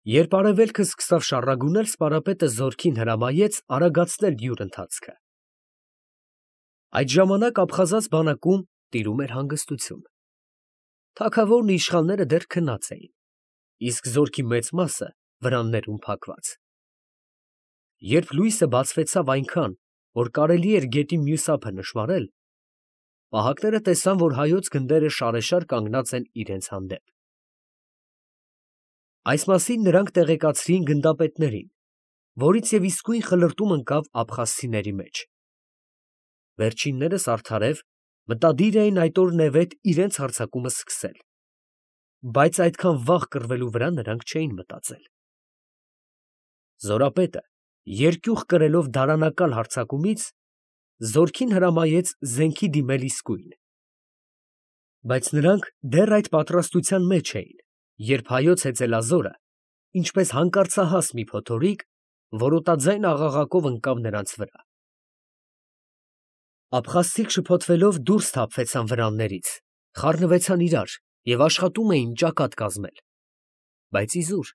Երբ արևելքը սկսավ շառագունել, սպարապետը զորքին հրամայեց արագացնել յուր ընթացքը։ Այդ ժամանակ աբխազած բանակում տիրում էր հանգստություն։ Թագավորն ու իշխանները դեռ քնած էին, իսկ զորքի մեծ մասը վրաններում փակված։ Երբ լույսը բացվեցավ այնքան, որ կարելի էր գետի մյուս ափը նշմարել, պահակները տեսան, որ հայոց գնդերը շարեշար կանգնած են իրենց հանդեպ։ Այս մասին նրանք տեղեկացրին գնդապետներին, որից և իսկույն խլրտում ընկավ աբխազցիների մեջ։ Վերջիններս արդարև մտադիր էին այդ օրնևեթ իրենց հարձակումը սկսել, բայց այդքան վաղ կռվելու վրա նրանք չէին մտածել։ Զորապետը, երկյուղ կրելով դարանակալ հարձակումից, զորքին հրամայեց զենքի դիմել իսկույն։ Բայց նրանք դեռ այդ պատրաստության մեջ էին, երբ հայոց հեծելազորը, ինչպես հանկարծահաս մի փոթորիկ, որոտաձայն աղաղակով ընկավ նրանց վրա։ Աբխազցիք շփոթվելով դուրս թափվեցան վրաններից, խառնվեցան իրար և աշխատում էին ճակատ կազմել, բայց իզուր։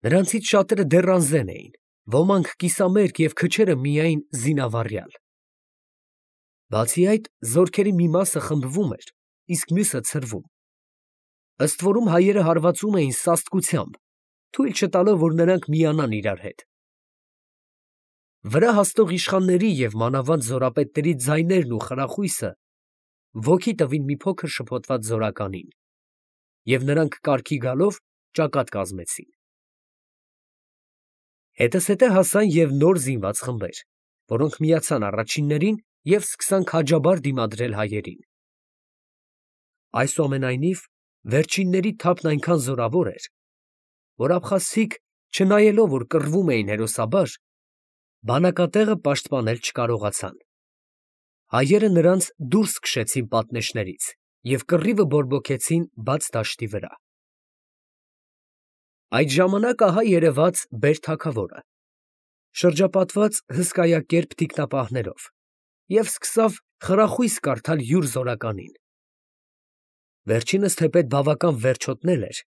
Նրանցից շատերը դեռ անզեն էին, ոմանք կիսամերկ և քչերը միայն զինավառյալ։ Բացի այդ, զորքերի մի մասը խմբվում էր, իսկ մյուսը ցրվում։ Ըստ որում հայերը հարվածում էին սաստկությամբ, թույլ չտալով, որ նրանք միանան իրար հետ։ Վրա հասնող իշխանների և մանավանդ զորապետների ձայներն ու խրախույսը ոգի տվին մի փոքր շփոթված զորականին, և նրանք կարգի գալով ճակատ կազմեցին։ Հետզհետե հասան և նոր զինված խմբեր, որոնք միացան առաջիններին և սկսան քաջաբար դիմադրել հայերին։ Այսուամենայնիվ, վերջինների թափն այնքան զորավոր էր, որ աբխազցիք, չնայելով, որ կռվում էին հերոսաբար, բանակատեղը պաշտպանել չկարողացան։ Հայերը նրանց դուրս քշեցին պատնեշներից և կռիվը բորբոքեցին բաց դաշտի վրա։ Այդ ժամանակ ահա երևաց բեր֊թագավորը, շրջապատված հսկայակերպ թիկնապահներով, և սկսավ խրախույս կարդալ յուր զորականին։ Վերջինս թեպետ բավական վերջոտնել էր,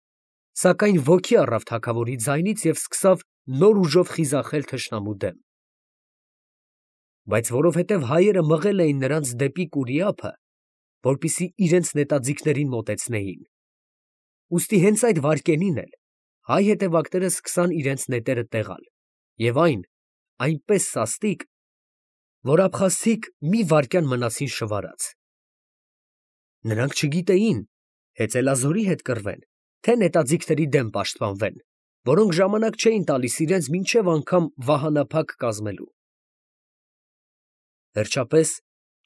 սակայն ոգի առավ թագավորի ձայնից և սկսավ նոր ուժով խիզախել թշնամու դեմ։ Բայց որովհետև հայերը մղել էին նրանց դեպի կուրի ափը, որպեսզի իրենց նետաձիգներին մոտեցնեին, ուստի հենց այդ վայրկենին էլ հայ հետևակները սկսան իրենց նետերը տեղալ, և այն այնպես սաստիկ, որ աբխազցիք մի վայրկյան մնացին շվարած։ Նրանք չգիտեին հեծելազորի հետ կռվեն, թե նետաձիգների դեմ պաշտպանվեն, որոնք ժամանակ չէին տալիս իրենց մինչև անգամ վահանափակ կազմելու։ Վերջապես,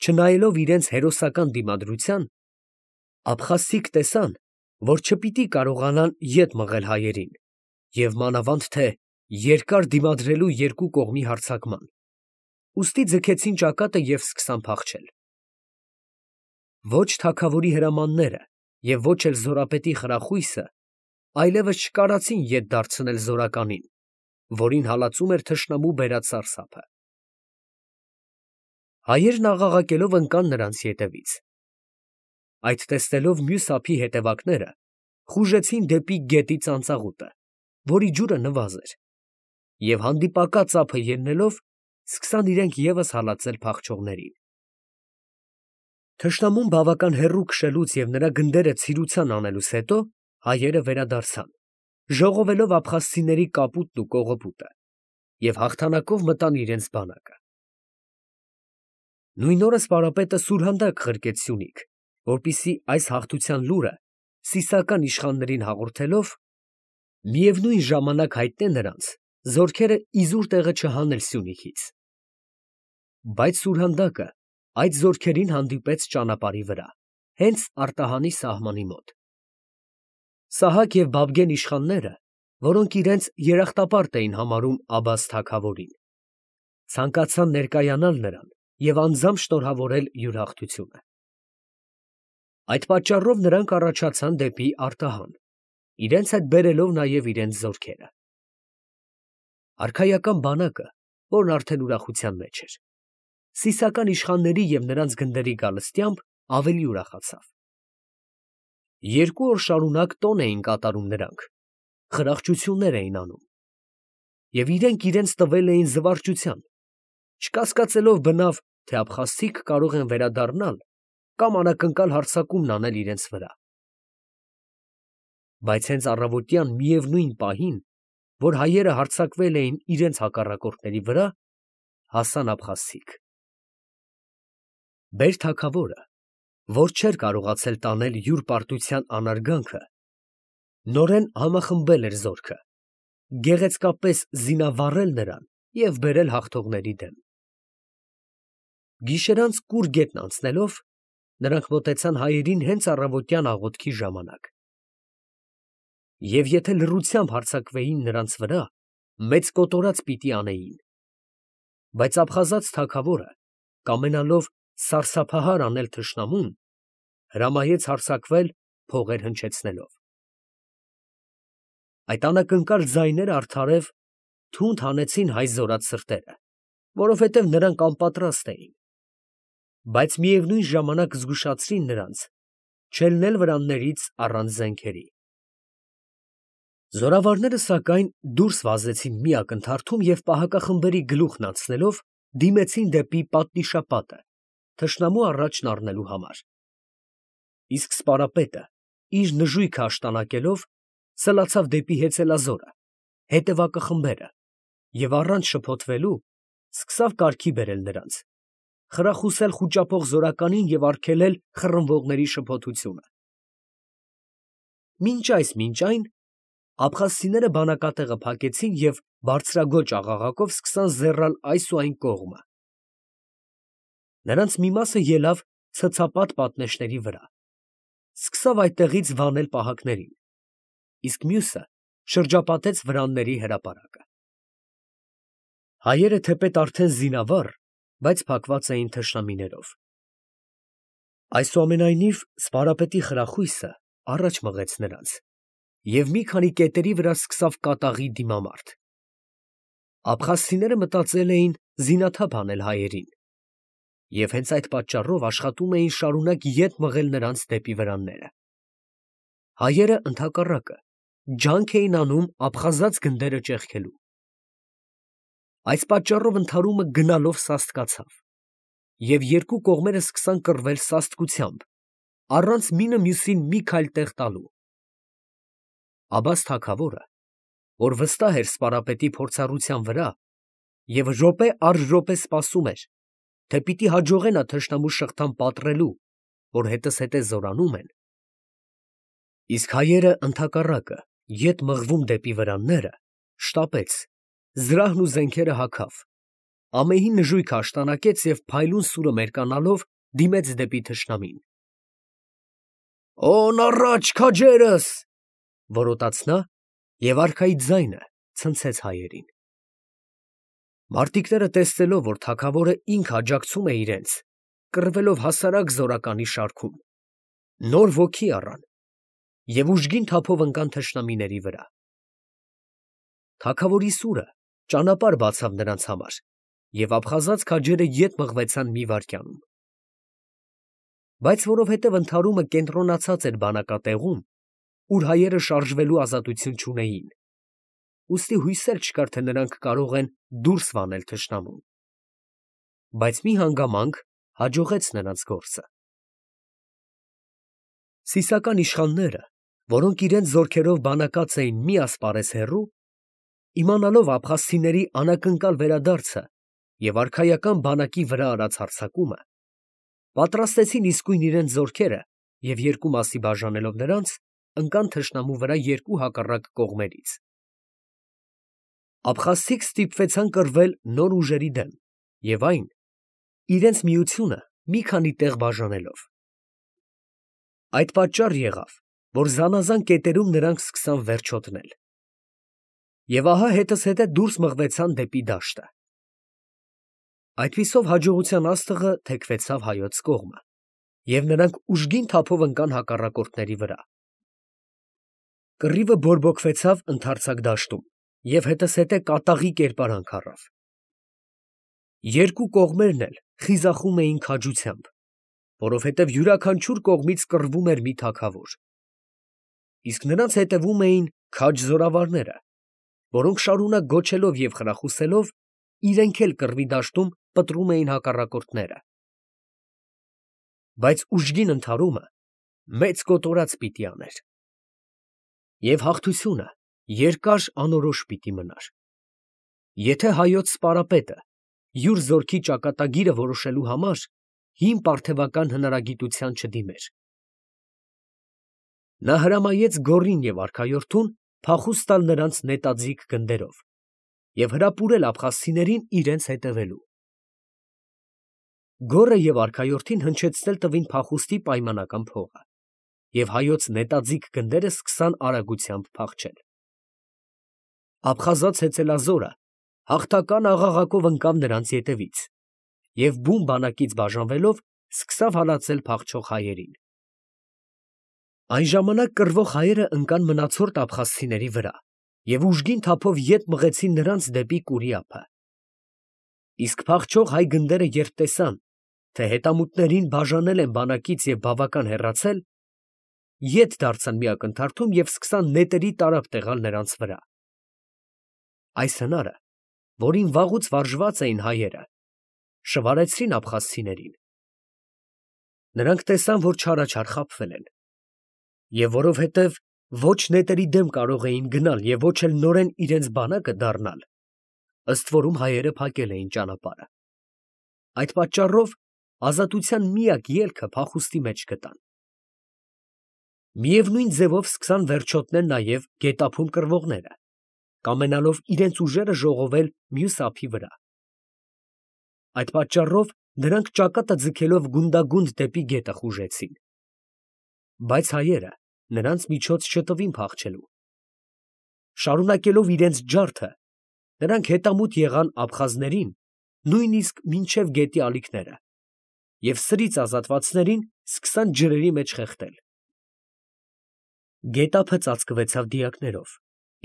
չնայելով իրենց հերոսական դիմադրության, աբխազցիք տեսան, որ չպիտի կարողանան ետ մղել հայերին և մանավանդ թե երկար դիմադրելու երկու կողմի հարձակման, ուստի ձգեցին ճակատը և սկսան փախչել։ Ոչ թագավորի հրամանները և ոչ էլ զորապետի խրախույսը այլևս չկարացին ետ դարձնել զորականին, որին հալածում էր թշնամու բերած սարսափը։ Հայերն աղաղակելով ընկան նրանց ետևից։ Այդ տեսնելով մյուս ափի հետևակները խուժեցին դեպի գետի ծանծաղուտը, որի ջուրը նվազ էր, և հանդիպակաց ափը ելնելով, սկսան իրենք ևս հալածել փախչողներին։ Թշնամուն բավական հեռու քշելուց և նրա գնդերը ցիրուցան անելուց հետո հայերը վերադարձան, ժողովելով աբխազցիների կապուտն ու կողոպուտը, և հաղթանակով մտան իրենց բանակը։ Նույն օրը սպարապետը սուրհանդակ ղրկեց Սյունիք, որպեսզի այս հաղթության լուրը սիսական իշխաններին հաղորդելով, միևնույն ժամանակ հայտնե նրանց զորքերը իզուր տեղը չհանել Սյունիքից։ Բայց սուրհանդակը այդ զորքերին հանդիպեց ճանապարհի վրա, հենց արտահանի սահմանի մոտ։ Սահակ և Բաբգեն իշխանները, որոնք իրենց երախտապարտ էին համարում Աբբաս թագավորին, ցանկացան ներկայանալ նրան և անձամբ շնորհավորել յուր հաղթությունը։ Այդ պատճառով նրանք առաջացան դեպի Արտահան, իրենց հետ բերելով նաև իրենց զորքերը։ Արքայական բանակը, որն արդեն ուրախության մեջ էր, սիսական իշխանների և նրանց գնդերի գալստյամբ ավելի ուրախացավ։ 2 օր շարունակ տոն էին կատարում նրանք, խրախճություններ էին անում, և իրենք իրենց տվել էին զվարճության, չկասկածելով բնավ, թե աբխազցիք կարող են վերադառնալ կամ անակնկալ հարձակումն անել իրենց վրա։ Բայց հենց առավոտյան միևնույն պահին, որ հայերը հարձակվել էին իրենց հակառակորդների վրա, հասան աբխազցիք։ Բեր-թագավորը, որ չէր կարողացել տանել յուր պարտության անարգանքը, նորեն համախմբել էր զորքը, գեղեցկապես զինավառել նրան և բերել հաղթողների դեմ։ Գիշերանց կուռ գետն անցնելով, նրանք մոտեցան հայերին հենց առավոտյան աղոթքի ժամանակ։ Եվ եթե լռությամբ հարձակվեին նրանց վրա, մեծ կոտորած պիտի անեին։ Բայց աբխազած թագավորը, կամենալով սարսափահար անել թշնամուն, հրամայեց հարձակվել փողեր հնչեցնելով։ Այդ անակնկալ ձայները արդարև թունդ հանեցին հայ զորած սրտերը, որովհետև նրանք անպատրաստ էին, բայց միևնույն ժամանակ զգուշացրին նրանց չելնել վրաններից առանց զենքերի։ Զորավարները, սակայն, դուրս վազեցին մի ակնթարթում և պահակախմբերի գլուխն անցնելով դիմեցին դեպի պատնիշապատը, թշնամու առաջն առնելու համար։ Իսկ սպարապետը, իր նժույգը աշտանակելով, սլացավ դեպի հեծելազորը, հետևակը խմբերը և առանց շփոթվելու սկսավ կարգի բերել նրանց, խրախուսել խուճապող զորականին և արգելել խռնվողների շփոթությունը։ Մինչ այն աբխազցիները բանակատեղը փակեցին և բարձրաձոչ աղաղակով սկսան զեռալ այս ու այն կողմը։ Նրանց մի մասը ելավ ցցապատ պատնեշների վրա, սկսավ այդտեղից վանել պահակներին, իսկ մյուսը շրջապատեց վրանների հրապարակը։ Հայերը թեպետ արդեն զինավառ, բայց փակված էին թշնամիներով։ Այսուամենայնիվ սպարապետի խրախույսը առաջ մղեց նրանց, և մի քանի կետերի վրա սկսավ կատաղի դիմամարտ։ Աբխազցիները մտածել էին զինաթափ անել հայերին և հենց այդ պատճառով աշխատում էին շարունակ ետ մղել նրանց դեպի վրանները։ Հայերը, ընդհակառակը, ջանք էին անում աբխազած գնդերը ճեղքելու։ Այս պատճառով ընդհարումը գնալով սաստկացավ, և երկու կողմերը սկսան կռվել սաստկությամբ, առանց մինը մյուսին մի քայլ տեղ տալու։ Աբբաս թագավորը, որ վստահ էր սպարապետի փորձառության վրա և րոպե առ րոպե սպասում էր, թե պիտի հաջողենա թշնամու շղթան պատռելու, որ հետզհետե զորանում են, իսկ հայերը, ընդհակառակը, ետ մղվում դեպի վրանները, շտապեց, զրահն ու զենքերը հագավ, ամեհի նժույգը աշտանակեց և փայլուն սուրը մերկանալով դիմեց դեպի թշնամին։ «Օն առաջ, քաջերս», որոտաց նա և արքայի ձայնը ցնցեց հայերին։ Մարտիկները, տեսնելով, որ թագավորը ինքը աջակցում է իրենց, կռվելով հասարակ զորականի շարքում, նոր ոգի առան և ուժգին թափով ընկան թշնամիների վրա։ Թագավորի սուրը ճանապարհ բացավ նրանց համար, և աբխազած քաջերը ետ մղվեցան մի վայրկյանում։ Բայց որովհետև ընդհարումը կենտրոնացած էր բանակատեղում, ուր հայերը շարժվելու ազատություն չունեին, ուստի հույսեր չկար, թե նրանք կարող են դուրս վանել թշնամուն։ Բայց մի հանգամանք հաջողեց նրանց գործը։ Սիսական իշխանները, որոնք իրենց զորքերով բանակած էին մի ասպարեզ հեռու, իմանալով աբխազցիների անակնկալ վերադարձը և արքայական բանակի վրա արած հարձակումը, պատրաստեցին իսկույն իրենց զորքերը և երկու մասի բաժանելով նրանց, ընկան թշնամու վրա երկու հակառակ կողմերից։ Աբխազցիք ստիպվեցան կռվել նոր ուժերի դեմ և այն, իրենց միությունը մի քանի տեղ բաժանելով։ Այդ պատճառ եղավ, որ զանազան կետերում նրանք սկսան վերջոտնել։ Եվ ահա հետզհետե դուրս մղվեցան դեպի դաշտը։ Այդպիսով հաջողության աստղը թեքվեցավ հայոց կողմը, և նրանք ուժգին թափով ընկան հակառակորդների վրա։ Կռիվը բորբոքվեցավ ընդարձակ դաշտում և հետզհետե կատաղի կերպարանք առավ։ Երկու կողմերն էլ խիզախում էին քաջությամբ, որովհետև յուրաքանչյուր կողմից կռվում էր մի թագավոր, իսկ նրանց հետևում էին քաջ զորավարները, որոնք շարունակ գոչելով և խրախուսելով, իրենք էլ կռվի դաշտում պտրում էին հակառակորդները։ Բայց ուժգին ընդհարումը մեծ կոտորած պիտի աներ, և հաղթությունը երկար անորոշ պիտի մնար։ Եթե հայոց սպարապետը յուր զորքի ճակատագիրը որոշելու համար հին պարթևական հնարագիտության չդիմեր, նա հրամայեց գոռին և արքայորդուն փախուստ տալ նրանց նետաձիգ գնդերով և հրապուրել աբխազցիներին իրենց հետևելու։ Գոռը և արքայորդին հնչեցնել տվին փախուստի պայմանական փողը, և հայոց նետաձիգ գնդերը սկսան արագությամբ փախչել։ Աբխազաց հեծելազորը հաղթական աղաղակով ընկավ նրանց ետևից և բուն բանակից բաժանվելով սկսավ հալածել փախչող հայերին։ Այն ժամանակ կռվող հայերը ընկան մնացորդ աբխազցիների վրա և ուժգին թափով ետ մղեցին նրանց դեպի Կուրի ափը։ Իսկ փախչող հայ գնդերը երբ տեսան, թե հետամուտներին բաժանել են բանակից և բավական հեռացել, ետ դարձան մի ակնթարթում և սկսան նետերի տարափ տեղալ նրանց վրա։ Այս հնարը, որին վաղուց վարժված էին հայերը, շվարեցրին աբխազցիներին։ Նրանք տեսան, որ չարաչար խաբվել են, և որովհետև ոչ նետերի դեմ կարող էին գնալ և ոչ էլ նորեն իրենց բանակը դառնալ, ըստ որում հայերը փակել էին ճանապարհը։ Այդ պատճառով ազատության միակ ելքը փախուստի մեջ գտան։ Միևնույն ձևով սկսան վերջոտնել նաև գետափում կռվողները, կամենալով իրենց ուժերը ժողովել մյուս ափի վրա։ Այդ պատճառով նրանք ճակատը ձգելով գունդագունդ դեպի գետը խուժեցին։ Բայց հայերը նրանց միջոց չտվին փախչելու։ Շարունակելով իրենց ջարդը, նրանք հետամուտ եղան աբխազներին նույնիսկ մինչև գետի ալիքները և սրից ազատվածներին սկսան ջրերի մեջ խեղդել։ Գետափը ծածկվեցավ դիակներով,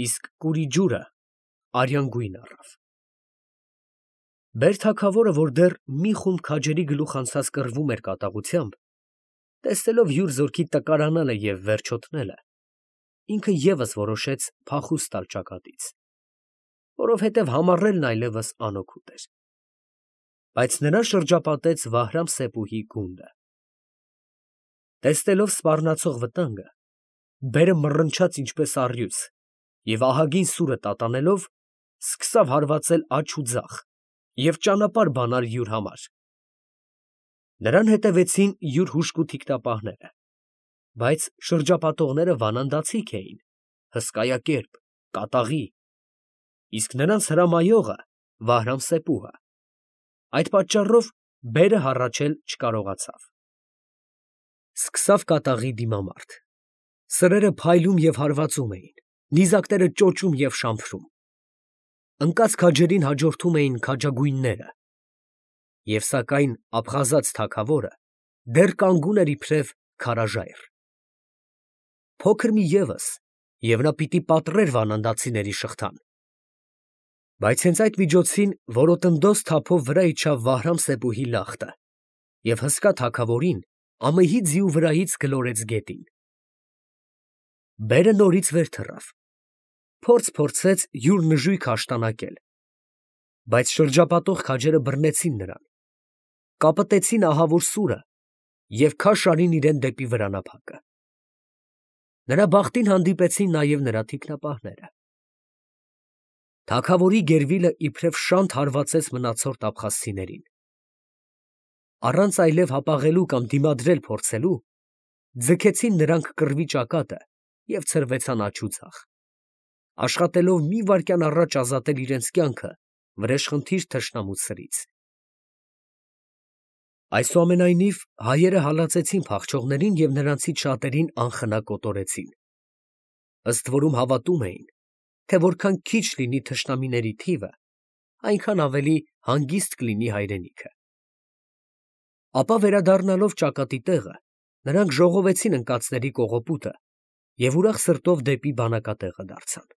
իսկ Կուրի ջուրը արյան գույն առավ։ Բեր֊թագավորը, որ դեռ մի խումբ քաջերի գլուխ անցած կռվում էր կատաղությամբ, տեսնելով յուր զորքի տկարանալը և վերջոտնելը, ինքը ևս որոշեց փախուստ տալ ճակատից, որովհետև համառելն այլևս անօգուտ էր։ Բայց նրան շրջապատեց Վահրամ֊Սեպուհի գունդը։ Տեսնելով սպառնացող վտանգը, բերը մռնչաց ինչպես առյուծ և ահագին սուրը տատանելով, սկսավ հարվածել աջ ու ձախ և ճանապարհ բանալ յուր համար։ Նրան հետևեցին յուր հուժկու թիկնապահները, բայց շրջապատողները վանանդացիք էին, հսկայակերպ, կատաղի, իսկ նրանց հրամայողը Վահրամ֊Սեպուհը, այդ պատճառով բերը հառաչել չկարողացավ։ Սկսավ կատաղի դիմամարտ։ Սրերը փայլում և հարվածում էին, նիզակները ճոճում և շամփրում։ Ընկած քաջերին հաջորդում էին քաջագույնները, և սակայն աբխազաց թագավորը դեռ կանգուն էր իբրև քարաժայռ։ Փոքր մի ևս, և նա պիտի պատռեր վանանդացիների շղթան։ Բայց հենց այդ միջոցին որոտնդոզ թափով վրա իջավ Վահրամ֊Սեպուհի լախտը և հսկա թագավորին ամահի ձիու վրայից գլորեց գետին։ Բերը նորից վեր թռավ, փորձ փորձեց յուր նժույգը աշտանակել, բայց շրջապատող քաջերը բռնեցին նրան, կապտեցին ահավոր սուրը և քաշ արին իրան դեպի վրանափակը։ Նրա բախտին հանդիպեցին նաև նրա թիկնապահները։ Թագավորի գերվիլը իբրև շանթ հարվածեց մնացորդ աբխազցիներին։ Առանց այլև հապաղելու կամ դիմադրել փորձելու, ձգեցին նրանք կռվի ճակատը և ցրվեցան աջ ու ձախ, աշխատելով մի վայրկյան առաջ ազատել իրենց կյանքը վրեժխնդիր թշնամու սրից։ Այսուամենայնիվ հայերը հալածեցին փախչողներին և նրանցից շատերին անխնա կոտորեցին, ըստ որում հավատում էին, թե որքան քիչ լինի թշնամիների թիվը, այնքան ավելի հանգիստ կլինի հայրենիքը։ Ապա վերադառնալով ճակատի տեղը, նրանք ժողովեցին ընկածների կողոպուտը և ուրախ սրտով դեպի բանակատեղը դարձան։